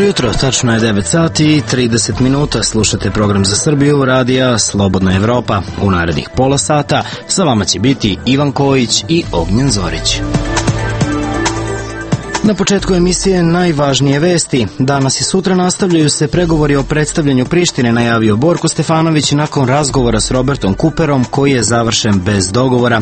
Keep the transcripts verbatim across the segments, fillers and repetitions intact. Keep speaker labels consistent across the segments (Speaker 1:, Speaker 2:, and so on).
Speaker 1: jutro, tačno je devet sati i trideset minuta, slušate program za Srbiju, radija Slobodna Evropa. U narednih pola sata sa vama će biti Ivan Kojić i Ognjen Zorić. Na početku emisije najvažnije vesti. Danas i sutra nastavljaju se pregovori o predstavljanju Prištine, najavio Borko Stefanović nakon razgovora s Robertom Kuperom, koji je završen bez dogovora.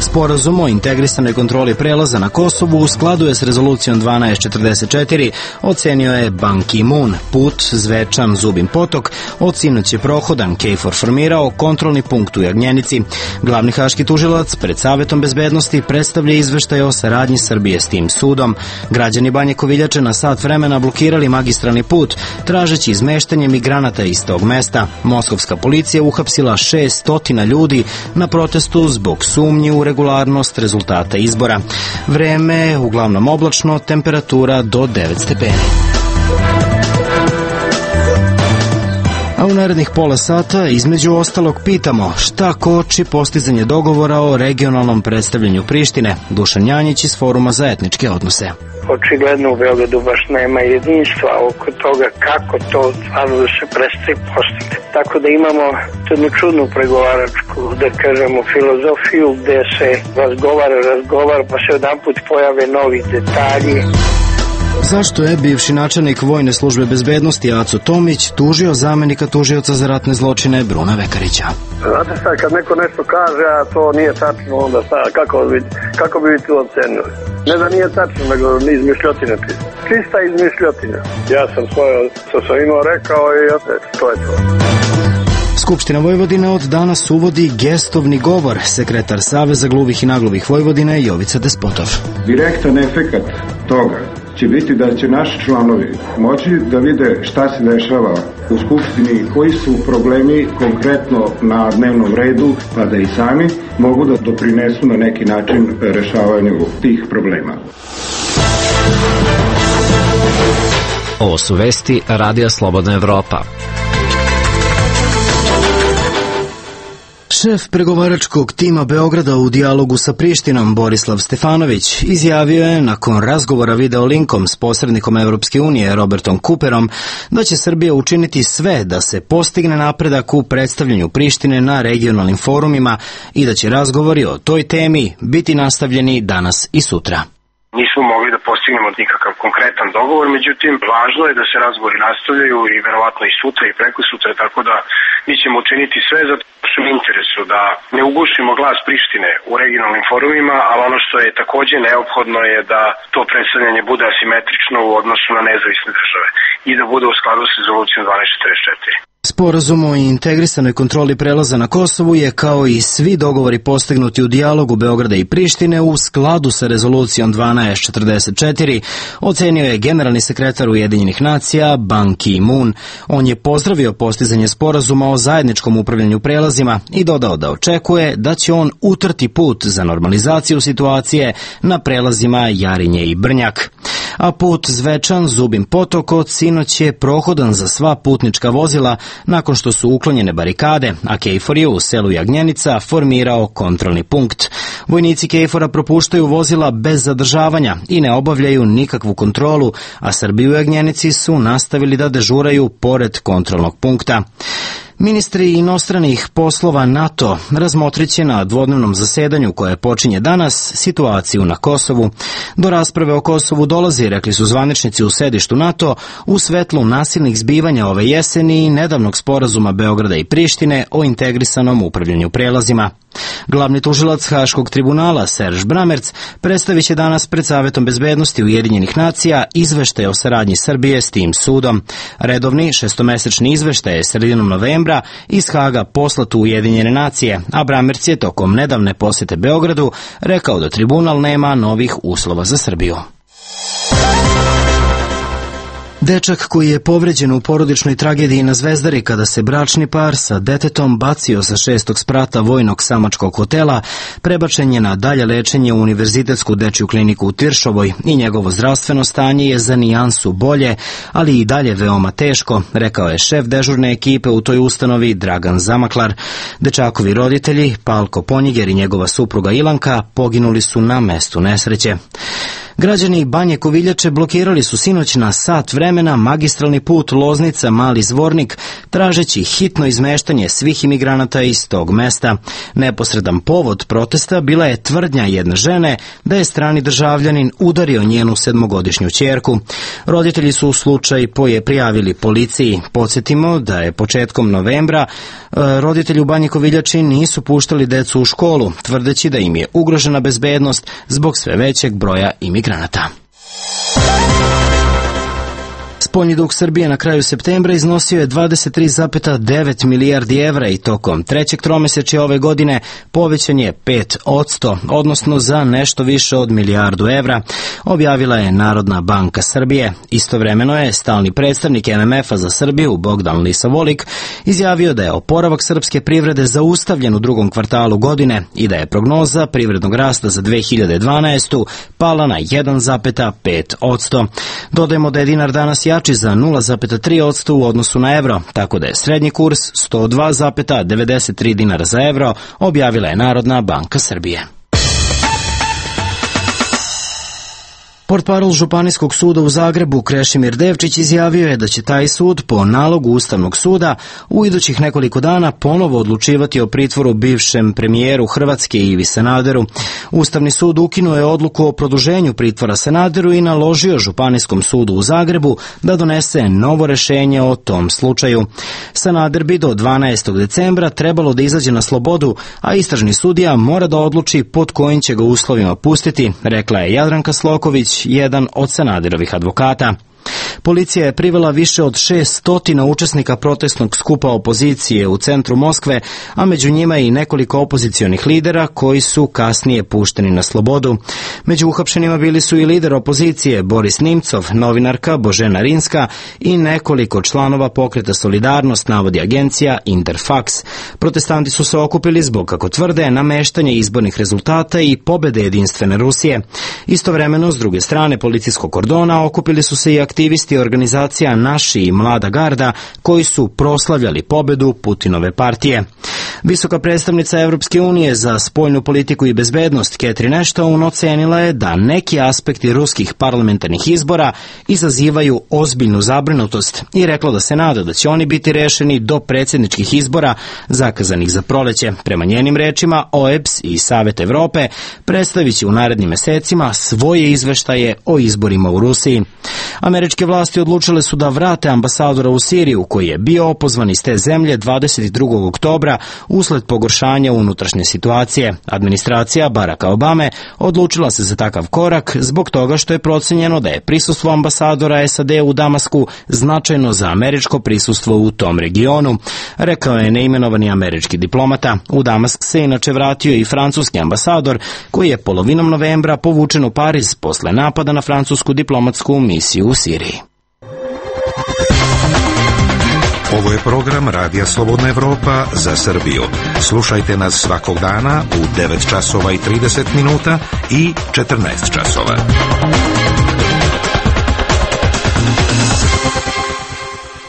Speaker 1: Sporazum o integrisanoj kontroli prelaza na Kosovu u skladu je s rezolucijom dvanaest četrdeset četiri, ocenio je Ban Ki-moon. Put Zvečan Zubin Potok od sinoć je prohodan. KFOR formirao kontrolni punkt u Jagnjenici. Glavni haški tužilac pred Savetom bezbednosti predstavlja izveštaj o saradnji Srbije s tim sudom. Građani Banje Koviljače na sat vremena blokirali magistralni put, tražeći izmeštanje migranata iz tog mesta. Moskovska policija uhapsila šesnaest ljudi na protestu zbog sumnji u regularnost rezultata izbora. Vreme uglavnom oblačno, temperatura do devet stepeni. A u narednih pola sata, između ostalog, pitamo šta koči postizanje dogovora o regionalnom predstavljanju Prištine. Dušan Janjić iz Foruma za etničke odnose.
Speaker 2: Očigledno u Beogradu baš nema jedinstva oko toga kako to stvarno da se predstavi postigne. Tako da imamo jednu čudnu pregovaračku, da kažemo, filozofiju gde se razgovara, razgovara, pa se jedanput pojave novi detalji.
Speaker 1: Zašto je bivši načelnik Vojne službe bezbednosti Aco Tomić tužio zamenika tužioca za ratne zločine Bruna Vekarića?
Speaker 3: Znate šta, kad neko nešto kaže, a to nije tačno, onda šta, kako bi, kako bi to ocenili? Ne da nije tačno, nego ni izmišljotina. Čista izmišljotina. Ja sam svoje, što sam imao rekao i to je to.
Speaker 1: Skupština Vojvodine od danas uvodi gestovni govor. Sekretar Saveza gluvih i nagluvih Vojvodine Jovica Despotov.
Speaker 4: Direktan efekat toga će biti da će naši članovi moći da vide šta se dešava u Skupštini, koji su problemi konkretno na dnevnom redu, pa da i sami mogu da doprinesu na neki način rešavanju tih problema.
Speaker 5: Ovo su vesti Radija Slobodna Evropa.
Speaker 1: Šef pregovaračkog tima Beograda u dijalogu sa Prištinom, Borislav Stefanović, izjavio je nakon razgovora videolinkom s posrednikom Evropske unije Robertom Kuperom da će Srbija učiniti sve da se postigne napredak u predstavljanju Prištine na regionalnim forumima i da će razgovori o toj temi biti nastavljeni danas i sutra.
Speaker 6: Nismo mogli da postignemo nikakav konkretan dogovor, međutim, važno je da se razgovori nastavljaju i verovatno i sutra i preko sutra, tako da mi ćemo učiniti sve za su interesu da ne ugušimo glas Prištine u regionalnim forumima, ali ono što je takođe neophodno je da to predstavljanje bude asimetrično u odnosu na nezavisne države i da bude u skladu sa rezolucijom dvanaest četrdeset četiri.
Speaker 1: Sporazum o integrisanoj kontroli prelaza na Kosovu je, kao i svi dogovori postignuti u dijalogu Beograda i Prištine, u skladu sa rezolucijom dvanaest četrdeset četiri, ocenio je generalni sekretar Ujedinjenih nacija Ban Ki-moon. On je pozdravio postizanje sporazuma o zajedničkom upravljanju prelazima i dodao da očekuje da će on utrti put za normalizaciju situacije na prelazima Jarinje i Brnjak. A put Zvečan Zubin Potok od sinoć je prohodan za sva putnička vozila nakon što su uklonjene barikade, a KFOR je u selu Jagnjenica formirao kontrolni punkt. Vojnici KFOR-a propuštaju vozila bez zadržavanja i ne obavljaju nikakvu kontrolu, a Srbi u Jagnjenici su nastavili da dežuraju pored kontrolnog punkta. Ministri inostranih poslova NATO razmotriće na dvodnevnom zasedanju koje počinje danas situaciju na Kosovu. Do rasprave o Kosovu dolazi, rekli su zvaničnici u sedištu NATO, u svetlu nasilnih zbivanja ove jeseni i nedavnog sporazuma Beograda i Prištine o integrisanom upravljanju prelazima. Glavni tužilac Haškog tribunala Serž Bramerc predstavit će danas pred Savetom bezbednosti Ujedinjenih nacija izveštaj o saradnji Srbije s tim sudom. Redovni šestomesečni izveštaj je sredinom novembra iz Haga poslat u Ujedinjene nacije, a Bramerc je tokom nedavne posete Beogradu rekao da tribunal nema novih uslova za Srbiju. Dečak koji je povređen u porodičnoj tragediji na Zvezdari kada se bračni par sa detetom bacio sa šestog sprata vojnog samačkog hotela, prebačen je na dalje lečenje u Univerzitetsku dečju kliniku u Tiršovoj i njegovo zdravstveno stanje je za nijansu bolje, ali i dalje veoma teško, rekao je šef dežurne ekipe u toj ustanovi Dragan Zamaklar. Dečakovi roditelji, Palko Ponjiger i njegova supruga Ilanka, poginuli su na mestu nesreće. Građani Banje Koviljače blokirali su sinoć na sat vremena magistralni put Loznica-Mali Zvornik, tražeći hitno izmeštanje svih imigranata iz tog mesta. Neposredan povod protesta bila je tvrdnja jedne žene da je strani državljanin udario njenu sedmogodišnju ćerku. Roditelji su slučaj poje prijavili policiji. Podsjetimo da je početkom novembra roditelji u Banji Koviljači nisu puštali decu u školu, tvrdeći da im je ugrožena bezbednost zbog sve većeg broja imigranata. Spoljni dug Srbije na kraju septembra iznosio je dvadeset tri zarez devet milijardi evra i tokom trećeg tromesečja ove godine povećan je pet posto, odnosno za nešto više od milijardu evra, objavila je Narodna banka Srbije. Istovremeno je stalni predstavnik em em efa za Srbiju, Bogdan Lisavolik, izjavio da je oporavak srpske privrede zaustavljen u drugom kvartalu godine i da je prognoza privrednog rasta za dve hiljade dvanaestu. pala na jedan zarez pet posto. Dodajemo da je dinar danas jači za nula zarez tri posto u odnosu na evro, tako da je srednji kurs sto dva zarez devedeset tri dinara za evro, objavila je Narodna banka Srbije. Portparol Županijskog suda u Zagrebu Krešimir Devčić izjavio je da će taj sud po nalogu Ustavnog suda u idućih nekoliko dana ponovo odlučivati o pritvoru bivšem premijeru Hrvatske Ivi Sanaderu. Ustavni sud ukinuo je odluku o produženju pritvora Sanaderu i naložio Županijskom sudu u Zagrebu da donese novo rešenje o tom slučaju. Sanader bi do dvanaestog decembra trebalo da izađe na slobodu, a istražni sudija mora da odluči pod kojim će ga uslovima pustiti, rekla je Jadranka Sloković, jedan od Sanaderovih advokata. Policija je privela više od šeststotina učesnika protestnog skupa opozicije u centru Moskve, a među njima i nekoliko opozicionih lidera koji su kasnije pušteni na slobodu. Među uhapšenima bili su i lider opozicije Boris Nimcov, novinarka Božena Rinska i nekoliko članova pokreta Solidarnost, navodi agencija Interfax. Protestanti su se okupili zbog, kako tvrde, nameštanja izbornih rezultata i pobede jedinstvene Rusije. Istovremeno, s druge strane policijskog kordona, okupili su se i aktivisti organizacija Naši i Mlada garda koji su proslavljali pobedu Putinove partije. Visoka predstavnica Evropske unije za spoljnu politiku i bezbednost Catherine Ashton ocenila je da neki aspekti ruskih parlamentarnih izbora izazivaju ozbiljnu zabrinutost i rekla da se nada da će oni biti rešeni do predsjedničkih izbora zakazanih za proleće. Prema njenim rečima, O E B S i Savet Evrope predstavit će u narednim mesecima svoje izveštaje o izborima u Rusiji. Američke vlasti odlučile su da vrate ambasadora u Siriju, koji je bio opozvan iz te zemlje dvadeset drugog oktobra usled pogoršanja unutrašnje situacije. Administracija Baracka Obame odlučila se za takav korak zbog toga što je procenjeno da je prisustvo ambasadora S A D u Damasku značajno za američko prisustvo u tom regionu, rekao je neimenovani američki diplomata. U Damask se inače vratio i francuski ambasador, koji je polovinom novembra povučen u Pariz posle napada na francusku diplomatsku misiju u Siriji.
Speaker 7: Ovo je program Radija Slobodna Evropa za Srbiju. Slušajte nas svakog dana u devet časova i trideset minuta i četrnaest časova.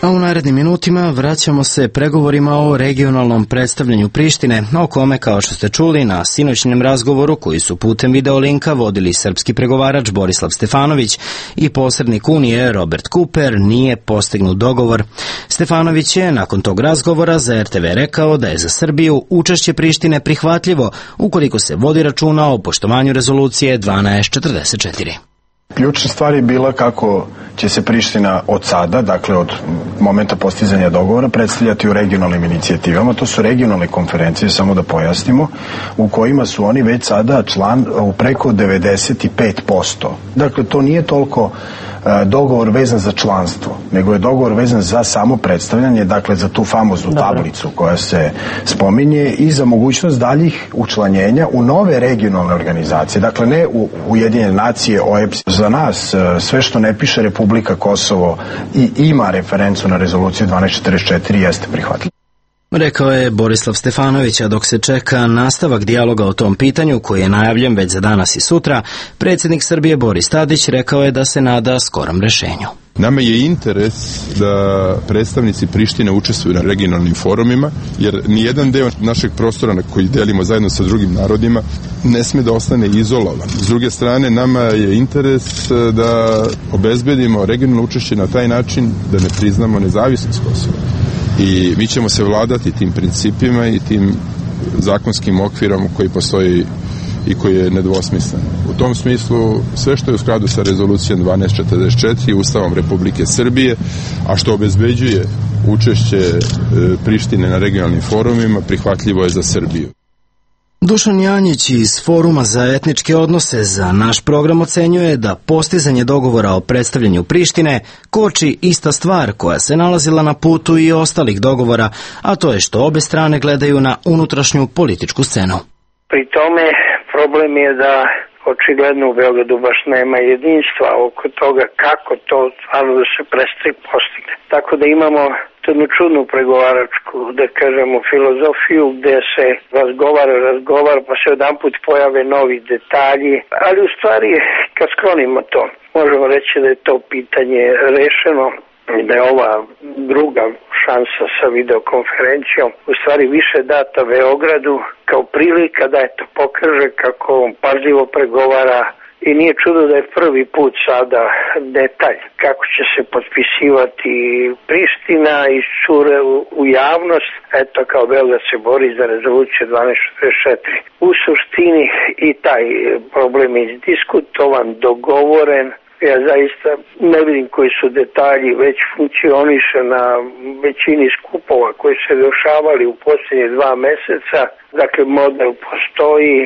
Speaker 1: A u narednim minutima vraćamo se pregovorima o regionalnom predstavljanju Prištine, o kome, kao što ste čuli, na sinoćnjem razgovoru koji su putem videolinka vodili srpski pregovarač Borislav Stefanović i posrednik Unije Robert Cooper, nije postignut dogovor. Stefanović je nakon tog razgovora za R T V rekao da je za Srbiju učešće Prištine prihvatljivo ukoliko se vodi računa o poštovanju rezolucije dvanaest četrdeset četiri.
Speaker 8: Ključna stvar je bila kako će se Priština od sada, dakle od momenta postizanja dogovora, predstavljati u regionalnim inicijativama. To su regionalne konferencije, samo da pojasnimo, u kojima su oni već sada član u preko devedeset pet posto. Dakle, to nije toliko dogovor vezan za članstvo, nego je dogovor vezan za samo predstavljanje, dakle za tu famoznu tablicu koja se spominje i za mogućnost daljih učlanjenja u nove regionalne organizacije, dakle ne u Ujedinjene nacije, O E B S. Za nas sve što ne piše Republika Kosovo i ima referencu na rezoluciju dvanaest četrdeset četiri jeste prihvatljivo.
Speaker 1: Rekao je Borislav Stefanović, a dok se čeka nastavak dijaloga o tom pitanju, koji je najavljen već za danas i sutra, predsjednik Srbije Boris Tadić rekao je da se nada skorom rešenju.
Speaker 9: Nama je interes da predstavnici Prištine učestvuju na regionalnim forumima, jer nijedan deo našeg prostora na koji delimo zajedno sa drugim narodima ne sme da ostane izolovan. S druge strane, nama je interes da obezbedimo regionalno učešće na taj način da ne priznamo nezavisnost Kosova. I mi ćemo se vladati tim principima i tim zakonskim okvirom koji postoji i koji je nedvosmislen. U tom smislu sve što je u skladu sa rezolucijom dvanaest četrdeset četiri Ustavom Republike Srbije, a što obezbeđuje učešće Prištine na regionalnim forumima, prihvatljivo je za Srbiju.
Speaker 1: Dušan Janjić iz Foruma za etničke odnose za naš program ocenjuje da postizanje dogovora o predstavljanju Prištine koči ista stvar koja se nalazila na putu i ostalih dogovora, a to je što obe strane gledaju na unutrašnju političku scenu.
Speaker 2: Pri tome problem je da očigledno u Beogradu baš nema jedinstva oko toga kako to stvarno da se prestaje postigne. Tako da imamo jednu čudnu pregovaračku, da kažemo, filozofiju gde se razgovara, razgovara, pa se odanput pojave novi detalji, ali u stvari kad sklonimo to, možemo reći da je to pitanje rešeno, da je ova druga šansa sa videokonferencijom u stvari više data Beogradu kao prilika da eto pokaže kako on pažljivo pregovara i nije čudo da je prvi put sada detalj kako će se potpisivati Priština i cure u, u javnost, eto kao Beograd se bori za rezoluciju dvanaest četrdeset četiri. U suštini i taj problem je izdiskutovan, dogovoren. Ja zaista ne vidim koji su detalji, već funkcioniše na većini skupova koji se dešavali u posljednje dva meseca. Dakle, model postoji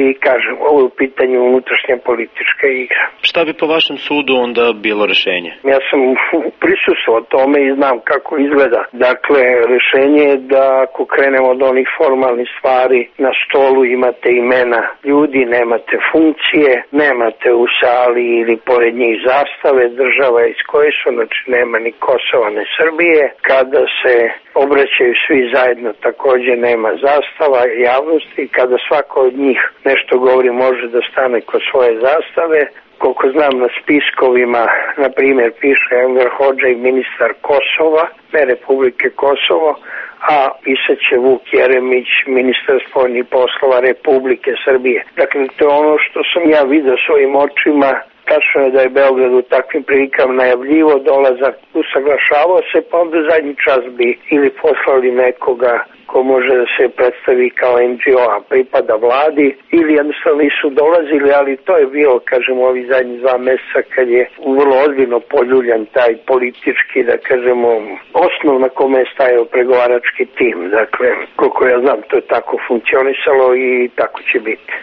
Speaker 2: i, kažem, ovo je u pitanju unutrašnja politička igra.
Speaker 10: Šta bi po vašem sudu onda bilo rešenje?
Speaker 2: Ja sam prisustvovao tome i znam kako izgleda. Dakle, rešenje je da ako krenemo od onih formalnih stvari, na stolu imate imena ljudi, nemate funkcije, nemate u sali ili pored njih zastave država iz koje su, znači nema ni Kosova, ni Srbije. Kada se obraćaju svi zajedno, takođe nema zastava javnosti. Kada svako od njih nešto govori, može da stane kod svoje zastave. Koliko znam, na spiskovima, na primjer, piše Enver Hodža i ministar Kosova, ne Republike Kosovo, a pisaće Vuk Jeremić, ministar spoljnih poslova Republike Srbije. Dakle, to je ono što sam ja vidio svojim očima. Tačno je da je Beograd u takvim prilikama najavljivo dolazak, usaglašavao se, pa onda zadnji čas bi ili poslali nekoga ko može da se predstavi kao en dži o, a pripada vladi, ili jednostavno nisu dolazili, ali to je bilo, kažemo, ovi zadnji dva meseca kad je vrlo ozbiljno poljuljan taj politički, da kažemo, osnov na kome je stajao pregovarački tim. Dakle, koliko ja znam, to je tako funkcionisalo i tako će biti.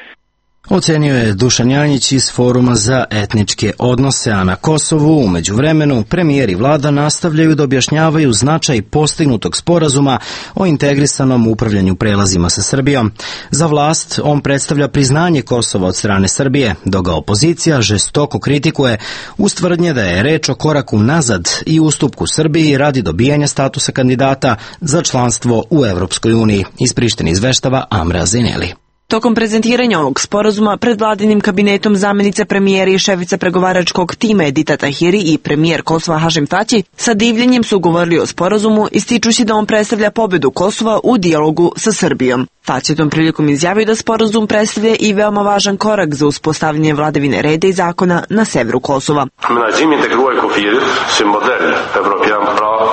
Speaker 1: Ocenio je Dušan Janjić iz Foruma za etničke odnose, a na Kosovu u međuvremenu premijer i vlada nastavljaju da objašnjavaju značaj postignutog sporazuma o integrisanom upravljanju prelazima sa Srbijom. Za vlast on predstavlja priznanje Kosova od strane Srbije, dok ga opozicija žestoko kritikuje uz tvrdnje da je reč o koraku nazad i ustupku Srbiji radi dobijanja statusa kandidata za članstvo u Evropskoj uniji. Iz Prištine izveštava Amra Zeneli.
Speaker 11: Tokom prezentiranja ovog sporazuma pred vladinim kabinetom zamjenica premijera i šefica pregovaračkog tima Edita Tahiri i premijer Kosova Hašim Tači sa divljenjem su govorili o sporazumu, ističući da on predstavlja pobedu Kosova u dijalogu sa Srbijom. Tači je tom prilikom izjavio da sporazum predstavlja i veoma važan korak za uspostavljanje vladavine reda i zakona na severu Kosova.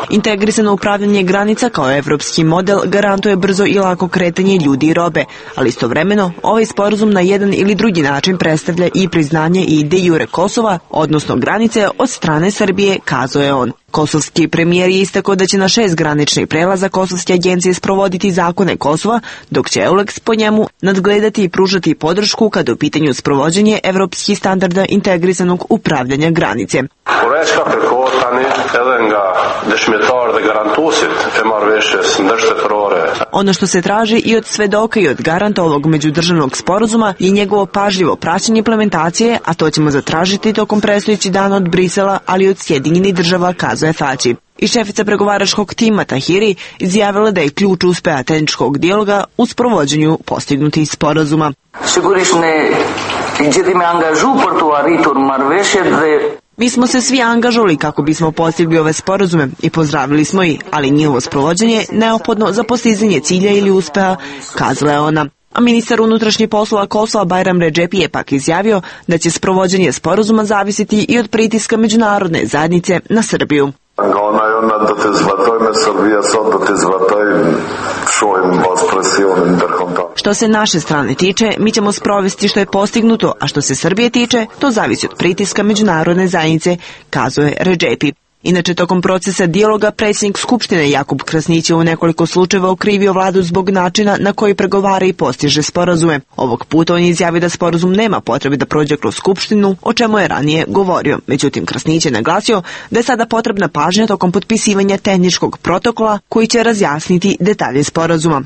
Speaker 11: Integrisano upravljanje granica kao evropski model garantuje brzo i lako kretanje ljudi i robe, ali istovremeno ovaj sporazum na jedan ili drugi način predstavlja i priznanje i de jure Kosova, odnosno granice od strane Srbije, kazao je on. Kosovski premijer je istakao da će na šest graničnih prelaza kosovske agencije sprovoditi zakone Kosova, dok će EULEX po njemu nadgledati i pružati podršku kada je u pitanju sprovođenje evropskih standarda integrisanog upravljanja granice. Ono što se traži i od svedoka i od garanta ovog međudržavnog sporazuma je njegovo pažljivo praćenje implementacije, a to ćemo zatražiti tokom predstojećih dana od Brisela, ali i od Sjedinjenih država, kazuje Tači. I šefica pregovaračkog tima Tahiri izjavila da je ključ uspeha tehničkog dijaloga u sprovođenju postignutih sporazuma. Mi smo se svi angažovali kako bismo postigli ove sporazume i pozdravili smo ih, ali njihovo sprovođenje je neophodno za postizanje cilja ili uspeha, kazala je ona. A ministar unutrašnjih poslova Kosova Bajram Redžepi je pak izjavio da će sprovođenje sporazuma zavisiti i od pritiska međunarodne zajednice na Srbiju. Što se naše strane tiče, mi ćemo sprovesti što je postignuto, a što se Srbije tiče, to zavisi od pritiska međunarodne zajednice, kazuje Redžepi. Inače, tokom procesa dijaloga predsjednik Skupštine Jakub Krasnić je u nekoliko slučajeva okrivio vladu zbog načina na koji pregovara i postiže sporazume. Ovog puta on je izjavio da sporazum nema potrebe da prođe kroz Skupštinu, o čemu je ranije govorio. Međutim, Krasnić je naglasio da je sada potrebna pažnja tokom potpisivanja tehničkog protokola koji će razjasniti detalje sporazuma.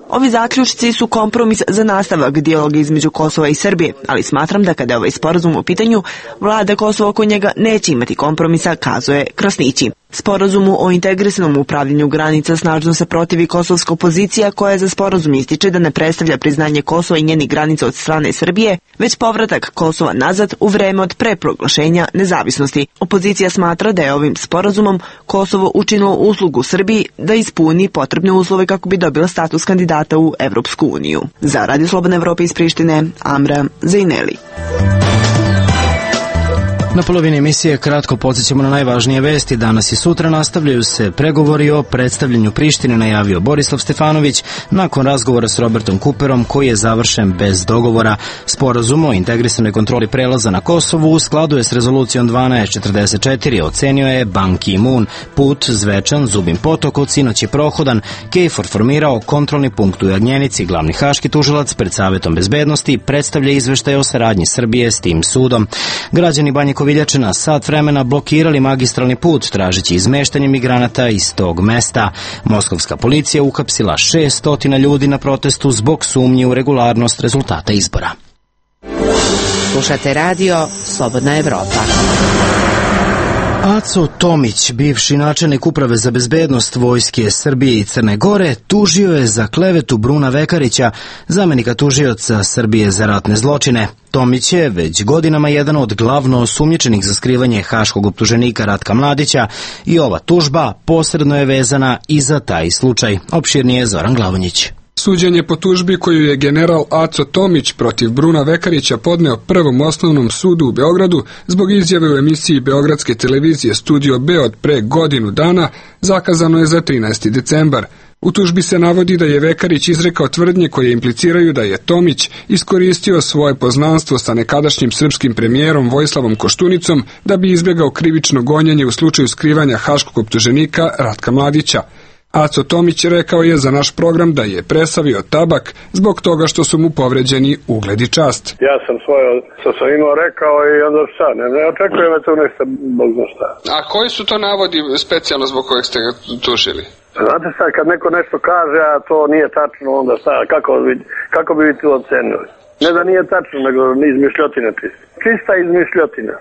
Speaker 11: Ovi zaključci su kompromis za nastavak dijaloga između Kosova i Srbije, ali smatram da kada je ovaj sporazum u pitanju, vlada Kosova oko njega neće imati kompromisa, kazuje Krasnići. Sporazumu o integrisanom upravljanju granica snažno se protivi kosovska opozicija koja za sporazum ističe da ne predstavlja priznanje Kosova i njenih granica od strane Srbije, već povratak Kosova nazad u vreme od pre proglašenja nezavisnosti. Opozicija smatra da je ovim sporazumom Kosovo učinilo uslugu Srbiji da ispuni potrebne uslove kako bi dobila status kandidata u Evropsku uniju. Za Radio Slobodne Evrope iz Prištine, Amra Zejneli.
Speaker 1: Na polovini emisije kratko podsjećamo na najvažnije vesti. Danas i sutra nastavljaju se pregovori o predstavljanju Prištine, najavio Borislav Stefanović nakon razgovora s Robertom Cooperom koji je završen bez dogovora. Sporazum o integrisanoj kontroli prelaza na Kosovu u skladu je s rezolucijom dvanaest četrdeset četiri, ocenio je Ban Ki-moon. Put Zvečan, Zubin potok od sinoć je prohodan. KFOR formirao kontrolni punkt u Jagnjenici. Glavni haški tužilac pred Savetom bezbednosti predstavlja izveštaj o saradnji Srbije s tim sudom. Građani Banje Koviljačina sat vremena blokirali magistralni put tražeći izmeštanje migranata iz tog mesta. Moskovska policija uhapsila šesnaest ljudi na protestu zbog sumnji u regularnost rezultata izbora.
Speaker 12: Slušate radio Slobodna Evropa.
Speaker 1: Aco Tomić, bivši načelnik Uprave za bezbednost Vojske Srbije i Crne Gore, tužio je za klevetu Bruna Vekarića, zamenika tužioca Srbije za ratne zločine. Tomić je već godinama jedan od glavno osumnjičenih za skrivanje haškog optuženika Ratka Mladića i ova tužba posredno je vezana i za taj slučaj. Opširnije Zoran Glavonjić.
Speaker 13: Suđenje po tužbi koju je general Aco Tomić protiv Bruna Vekarića podneo Prvom osnovnom sudu u Beogradu zbog izjave u emisiji Beogradske televizije Studio B od pre godinu dana zakazano je za trinaesti decembar. U tužbi se navodi da je Vekarić izrekao tvrdnje koje impliciraju da je Tomić iskoristio svoje poznanstvo sa nekadašnjim srpskim premijerom Vojislavom Koštunicom da bi izbjegao krivično gonjenje u slučaju skrivanja haškog optuženika Ratka Mladića. Aco Tomić rekao je za naš program da je presavio tabak zbog toga što su mu povređeni ugled i čast.
Speaker 3: Ja sam svoje sa svojima rekao i onda šta, ne, ne očekujem da to nešto, bog zna šta.
Speaker 13: A koji su to navodi specijalno zbog kojeg ste ga tužili?
Speaker 3: Znate sad, kad neko nešto kaže, a to nije tačno, onda šta, kako, kako bi vi to ocenili? Ne da nije tačno, nego izmišljotine čista. Čista izmišljotina.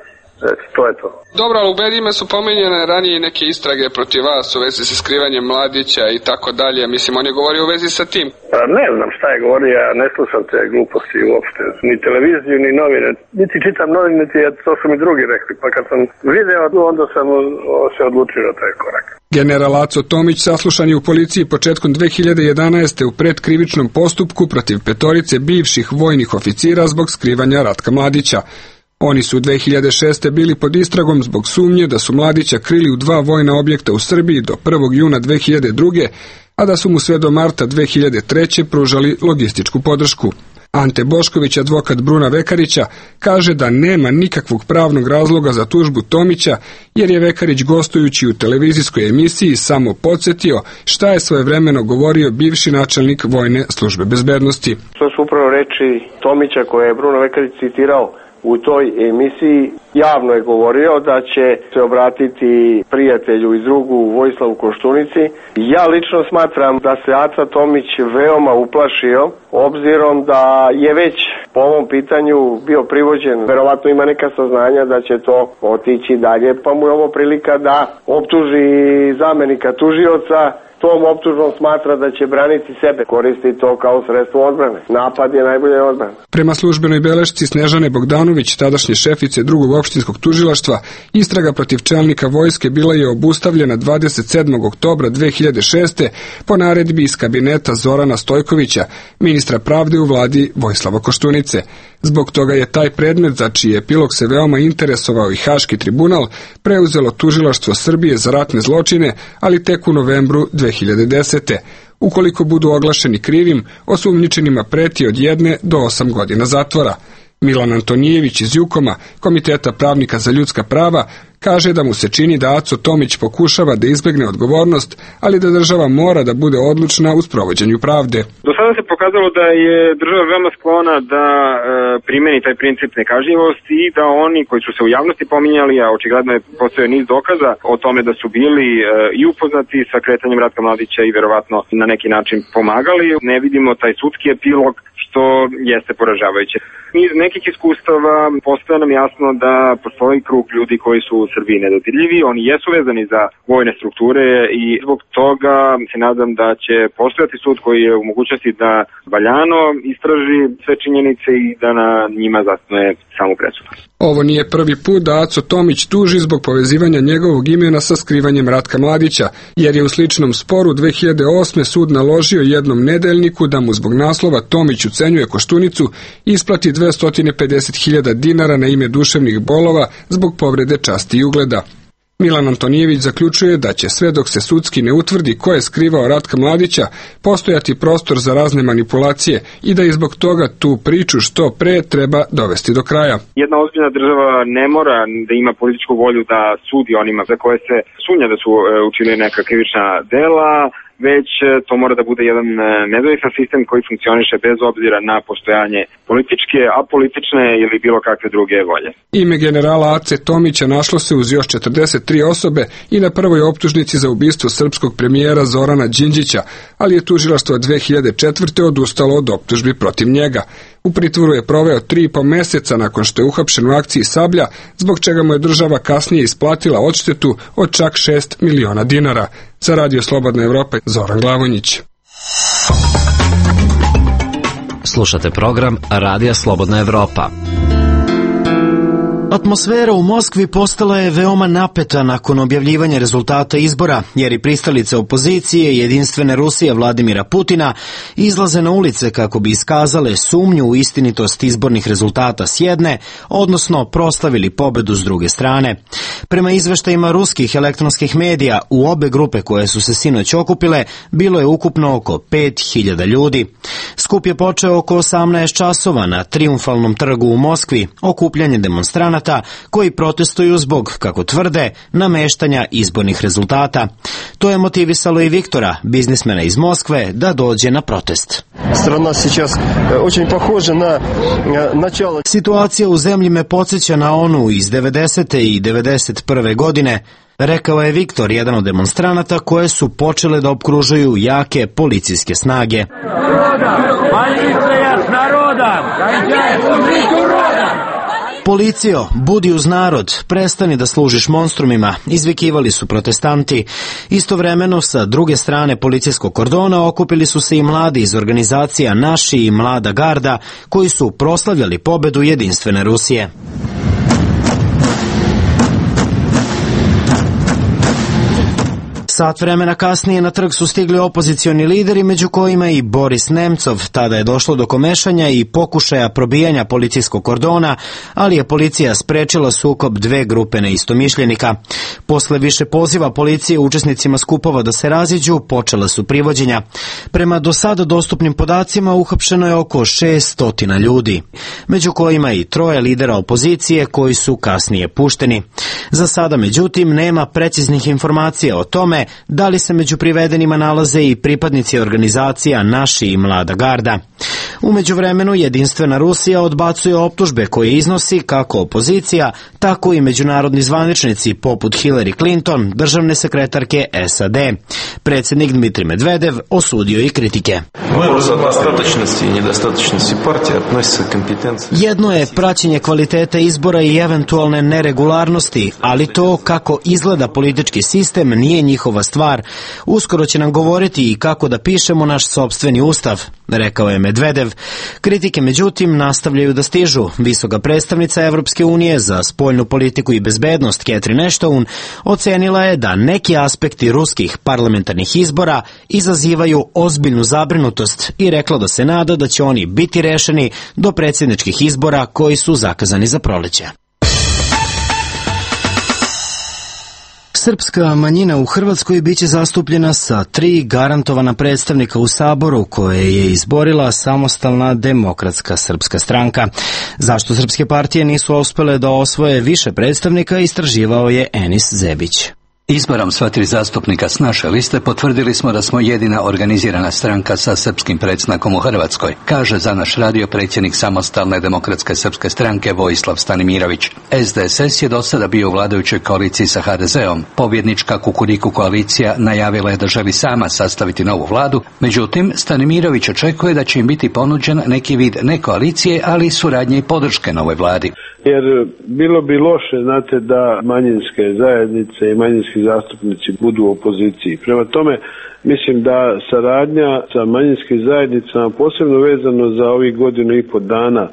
Speaker 3: Eto, to je to.
Speaker 13: Dobro, ali u medijima su pomenjene ranije neke istrage protiv vas u vezi sa skrivanjem Mladića i tako dalje. Mislim, on je govorio u vezi sa tim.
Speaker 3: Pa ne znam šta je govorio, ja ne slušam te gluposti uopšte. Ni televiziju, ni novine. Niti čitam novine, niti to su mi drugi rekli. Pa kad sam video, onda sam se odlučio na taj korak.
Speaker 13: General Aco Tomić saslušan je u policiji početkom dve hiljade jedanaeste. u predkrivičnom postupku protiv petorice bivših vojnih oficira zbog skrivanja Ratka Mladića. Oni su u dve hiljade šeste. bili pod istragom zbog sumnje da su Mladića krili u dva vojna objekta u Srbiji do prvog juna dve hiljade druge. a da su mu sve do marta dve hiljade treće. pružali logističku podršku. Ante Bošković, advokat Bruna Vekarića, kaže da nema nikakvog pravnog razloga za tužbu Tomića, jer je Vekarić gostujući u televizijskoj emisiji samo podsjetio šta je svojevremeno govorio bivši načelnik Vojne službe bezbednosti.
Speaker 14: To su upravo reči Tomića koje je Bruno Vekarić citirao
Speaker 3: u toj emisiji javno je govorio da će se obratiti prijatelju iz drugu Vojislavu Koštunici. Ja lično smatram da se Aca Tomić veoma uplašio, obzirom da je već po ovom pitanju bio privođen. Verovatno ima neka saznanja da će to otići dalje, pa mu je ovo prilika da optuži zamenika tužioca. Tom optužbom smatra da će braniti sebe, koristi to kao sredstvo odbrane. Napad je najbolje odbrana.
Speaker 13: Prema službenoj belešci Snežane Bogdanović, tadašnje šefice drugog opštinskog tužilaštva, istraga protiv čelnika vojske bila je obustavljena dvadeset sedmog oktobra dve hiljade šeste. po naredbi iz kabineta Zorana Stojkovića, ministra pravde u vladi Vojislava Koštunice. Zbog toga je taj predmet, za čiji epilog se veoma interesovao i Haški tribunal, preuzelo tužilaštvo Srbije za ratne zločine, ali tek u novembru dve hiljade desete. Ukoliko budu oglašeni krivim, osumnjičenima preti od jedne do osam godina zatvora. Milan Antonijević iz Jukoma, Komiteta pravnika za ljudska prava, kaže da mu se čini da Aco Tomić pokušava da izbegne odgovornost, ali da država mora da bude odlučna u sprovođenju pravde.
Speaker 14: Do sada se pokazalo da je država veoma sklona da e, primeni taj princip nekažnjivosti i da oni koji su se u javnosti pominjali, a očigledno je postojao niz dokaza o tome da su bili e, i upoznati sa kretanjem Ratka Mladića i verovatno na neki način pomagali. Ne vidimo taj sudski epilog, što jeste poražavajuće. Iz nekih iskustava postoje nam jasno da postoji krug ljudi koji su u Srbiji nedodirljivi, oni jesu vezani za vojne strukture i zbog toga se nadam da će postojati sud koji je u mogućnosti da valjano istraži sve činjenice i da na njima zasnuje samu presudu.
Speaker 13: Ovo nije prvi put da Aco Tomić tuži zbog povezivanja njegovog imena sa skrivanjem Ratka Mladića, jer je u sličnom sporu dve hiljade osme. sud naložio jednom nedeljniku da mu zbog naslova Tomić ucenjuje Koštunicu isplati dvesta pedeset hiljada dinara na ime duševnih bolova zbog povrede časti i ugleda. Milan Antonijević zaključuje da će sve dok se sudski ne utvrdi ko je skrivao Ratka Mladića postojati prostor za razne manipulacije i da je zbog toga tu priču što pre treba dovesti do kraja.
Speaker 14: Jedna ozbiljna država ne mora da ima političku volju da sudi onima za koje se sumnja da su učinili neka krivična dela, već to mora da bude jedan nezavisan sistem koji funkcioniše bez obzira na postojanje političke, apolitične ili bilo kakve druge volje.
Speaker 13: Ime generala Ace Tomića našlo se uz još četrdeset tri osobe i na prvoj optužnici za ubistvo srpskog premijera Zorana Đinđića, ali je tužilaštvo dve hiljade četvrte. odustalo od optužbi protiv njega. U pritvoru je proveo tri i po meseca nakon što je uhapšen u akciji Sablja, zbog čega mu je država kasnije isplatila odštetu od čak šest miliona dinara. Za Radio Slobodna Evropa, Zoran Glavonjić.
Speaker 5: Slušate program Radija Slobodna Evropa.
Speaker 1: Atmosfera u Moskvi postala je veoma napeta nakon objavljivanja rezultata izbora, jer i pristalice opozicije i Jedinstvene Rusije Vladimira Putina izlaze na ulice kako bi iskazale sumnju u istinitost izbornih rezultata s jedne, odnosno proslavili pobedu s druge strane. Prema izveštajima ruskih elektronskih medija, u obe grupe koje su se sinoć okupile, bilo je ukupno oko pet hiljada ljudi. Skup je počeo oko osamnaest časova na Trijumfalnom trgu u Moskvi, okupljanje demonstranata koji protestuju zbog, kako tvrde, nameštanja izbornih rezultata. To je motivisalo i Viktora, biznismena iz Moskve, da dođe na protest. Situacija u zemlji me podsjeća na onu iz devedesete i devedeset prve. godine, rekao je Viktor, jedan od demonstranata koje su počele da opkružuju jake policijske snage. Policijo, budi uz narod, prestani da služiš monstrumima, izvikivali su protestanti. Istovremeno, sa druge strane policijskog kordona okupili su se i mladi iz organizacija Naši i Mlada garda, koji su proslavljali pobedu Jedinstvene Rusije. Sat vremena kasnije na trg su stigli opozicioni lideri, među kojima i Boris Nemcov. Tada je došlo do komešanja i pokušaja probijanja policijskog kordona, ali je policija sprečila sukob dve grupe neistomišljenika. Posle više poziva policije učesnicima skupova da se raziđu, počela su privođenja. Prema do sada dostupnim podacima uhapšeno je oko šessto ljudi, među kojima i troje lidera opozicije koji su kasnije pušteni. Za sada, međutim, nema preciznih informacija o tome da li se među privedenima nalaze i pripadnici organizacija Naši i Mlada garda. U međuvremenu Jedinstvena Rusija odbacuje optužbe koje iznosi kako opozicija, tako i međunarodni zvaničnici poput Hillary Clinton, državne sekretarke S A D. Predsjednik Dmitrij Medvedev osudio i kritike. Jedno je praćenje kvalitete izbora i eventualne neregularnosti, ali to kako izgleda politički sistem nije njihova stvar. Uskoro će nam govoriti i kako da pišemo naš sopstveni ustav, rekao je Medvedev. Kritike, međutim, nastavljaju da stižu. Visoka predstavnica Evropske unije za spoljnu politiku i bezbednost Catherine Ashton ocenila je da neki aspekti ruskih parlamentarnih izbora izazivaju ozbiljnu zabrinutost i rekla da se nada da će oni biti rešeni do predsjedničkih izbora koji su zakazani za proleće. Srpska manjina u Hrvatskoj biće zastupljena sa tri garantovana predstavnika u Saboru koje je izborila Samostalna demokratska srpska stranka. Zašto srpske partije nisu uspele da osvoje više predstavnika, istraživao je Enis Zebić.
Speaker 15: Izborom sva tri zastupnika s naše liste potvrdili smo da smo jedina organizirana stranka sa srpskim predznakom u Hrvatskoj, kaže za naš radio predsjednik Samostalne demokratske srpske stranke Vojislav Stanimirović. S D S S je do sada bio u vladajućoj koaliciji sa H D Z-om. Pobjednička Kukuriku koalicija najavila je da želi sama sastaviti novu vladu, međutim Stanimirović očekuje da će im biti ponuđen neki vid ne koalicije, ali suradnje i podrške novoj vladi.
Speaker 16: Jer bilo bi loše, znate, da manjinske zajednice i manjinski zastupnici budu u opoziciji. Prema tome, mislim da saradnja sa manjinskim zajednicama, posebno vezano za ovih godinu i po dana,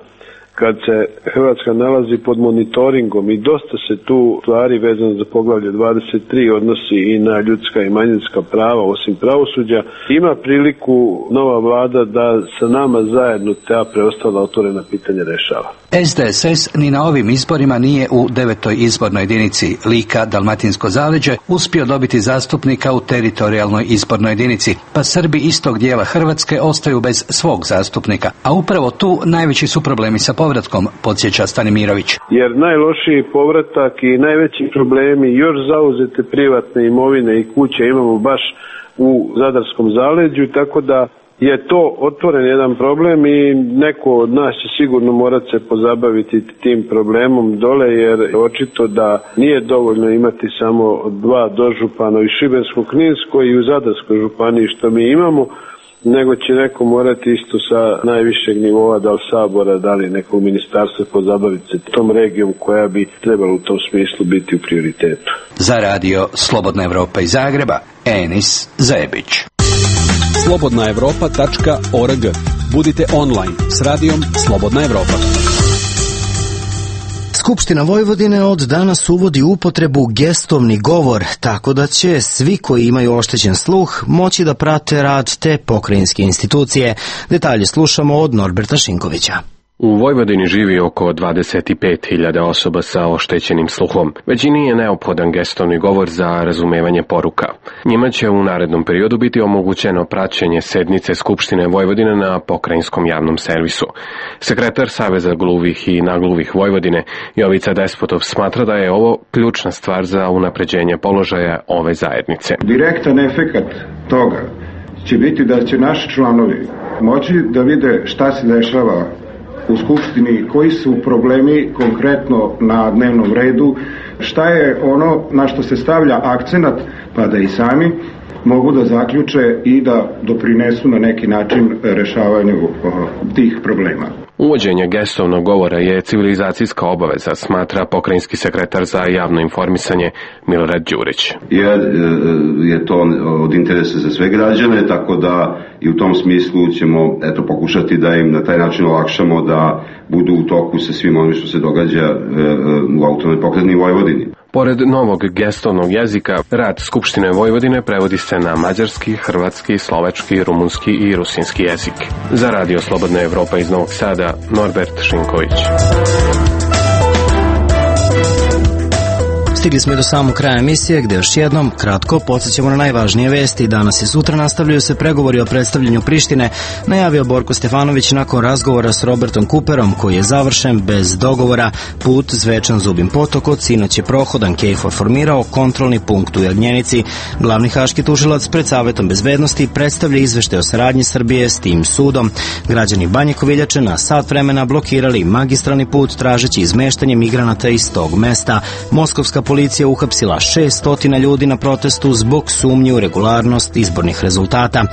Speaker 16: kad se Hrvatska nalazi pod monitoringom i dosta se tu stvari vezano za poglavlje dvadeset tri odnosi i na ljudska i manjinska prava, osim pravosuđa, ima priliku nova vlada da sa nama zajedno ta preostala otvorena pitanja rešava.
Speaker 15: S D S S ni na ovim izborima nije u devetoj izbornoj jedinici Lika, Dalmatinsko zaleđe uspio dobiti zastupnika u teritorijalnoj izbornoj jedinici, pa Srbi istog dijela Hrvatske ostaju bez svog zastupnika, a upravo tu najveći su problemi sa povratkom, podsjeća Stanimirović.
Speaker 16: Jer najlošiji povratak i najveći problemi još zauzete privatne imovine i kuće imamo baš u Zadarskom zaleđu, tako da je to otvoren jedan problem i neko od nas će sigurno morati se pozabaviti tim problemom dole, jer očito da nije dovoljno imati samo dva dožupana i Šibensko-Kninsko i u Zadarskoj županiji što mi imamo, nego će neko morati isto sa najvišeg nivoa, da li Sabora, da li nekog ministarstva, pozabaviti se tom regijom koja bi trebala u tom smislu biti u prioritetu.
Speaker 15: Za radio Slobodna Evropa iz Zagreba, Enis Zebić.
Speaker 17: slobodna evropa tačka org. Budite online s radijom Slobodna Evropa.
Speaker 1: Skupština Vojvodine od danas uvodi upotrebu gestovni govor, tako da će svi koji imaju oštećen sluh moći da prate rad te pokrajinske institucije. Detalje slušamo od Norberta Šinkovića.
Speaker 18: U Vojvodini živi oko dvadeset pet hiljada osoba sa oštećenim sluhom. Većini je neophodan gestovni govor za razumevanje poruka. Njima će u narednom periodu biti omogućeno praćenje sednice Skupštine Vojvodine na pokrajinskom javnom servisu. Sekretar Saveza gluvih i nagluvih Vojvodine, Jovica Despotov, smatra da je ovo ključna stvar za unapređenje položaja ove zajednice.
Speaker 4: Direktan efekat toga će biti da će naši članovi moći da vide šta se dešava u Skupštini, koji su problemi konkretno na dnevnom redu, šta je ono na što se stavlja akcenat, pa da i sami mogu da zaključe i da doprinesu na neki način rešavanju tih problema.
Speaker 18: Uvođenje gestovnog govora je civilizacijska obaveza, smatra pokrajinski sekretar za javno informisanje Milorad Đurić.
Speaker 19: Jer je to od interesa za sve građane, tako da i u tom smislu ćemo eto pokušati da im na taj način olakšamo da budu u toku sa svim onim što se događa u autonomnoj pokrajini Vojvodini.
Speaker 18: Pored novog gestovnog jezika, rad Skupštine Vojvodine prevodi se na mađarski, hrvatski, slovački, rumunski i rusinski jezik. Za radio Slobodna Evropa iz Novog Sada, Norbert Šinković.
Speaker 1: Stigli smo i do samog kraja emisije, gde još jednom kratko podsjećamo na najvažnije vesti. Danas i sutra nastavljaju se pregovori o predstavljanju Prištine, najavio Borko Stefanović nakon razgovora s Robertom Cooperom, koji je završen bez dogovora. Put Zvečan Zubin Potok od sinoć je prohodan. KFOR formirao kontrolni punkt u Jagnjenici. Glavni haški tužilac pred Savetom bezbednosti predstavlja izveštaj o saradnji Srbije s tim sudom. Građani Banje Koviljače na sat vremena blokirali magistralni put tražeći izmeštanje migranata iz tog mesta. Moskovska policija uhapsila šessto ljudi na protestu zbog sumnje u regularnost izbornih rezultata.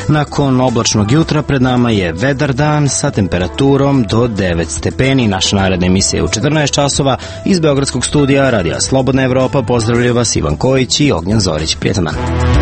Speaker 1: Nakon oblačnog jutra pred nama je vedar dan sa temperaturom do devet stepeni. Naša naredna emisija je u četrnaest časova. Iz Beogradskog studija Radija Slobodna Evropa pozdravljaju vas Ivan Kojić i Ognjan Zorić. Prijetan dan.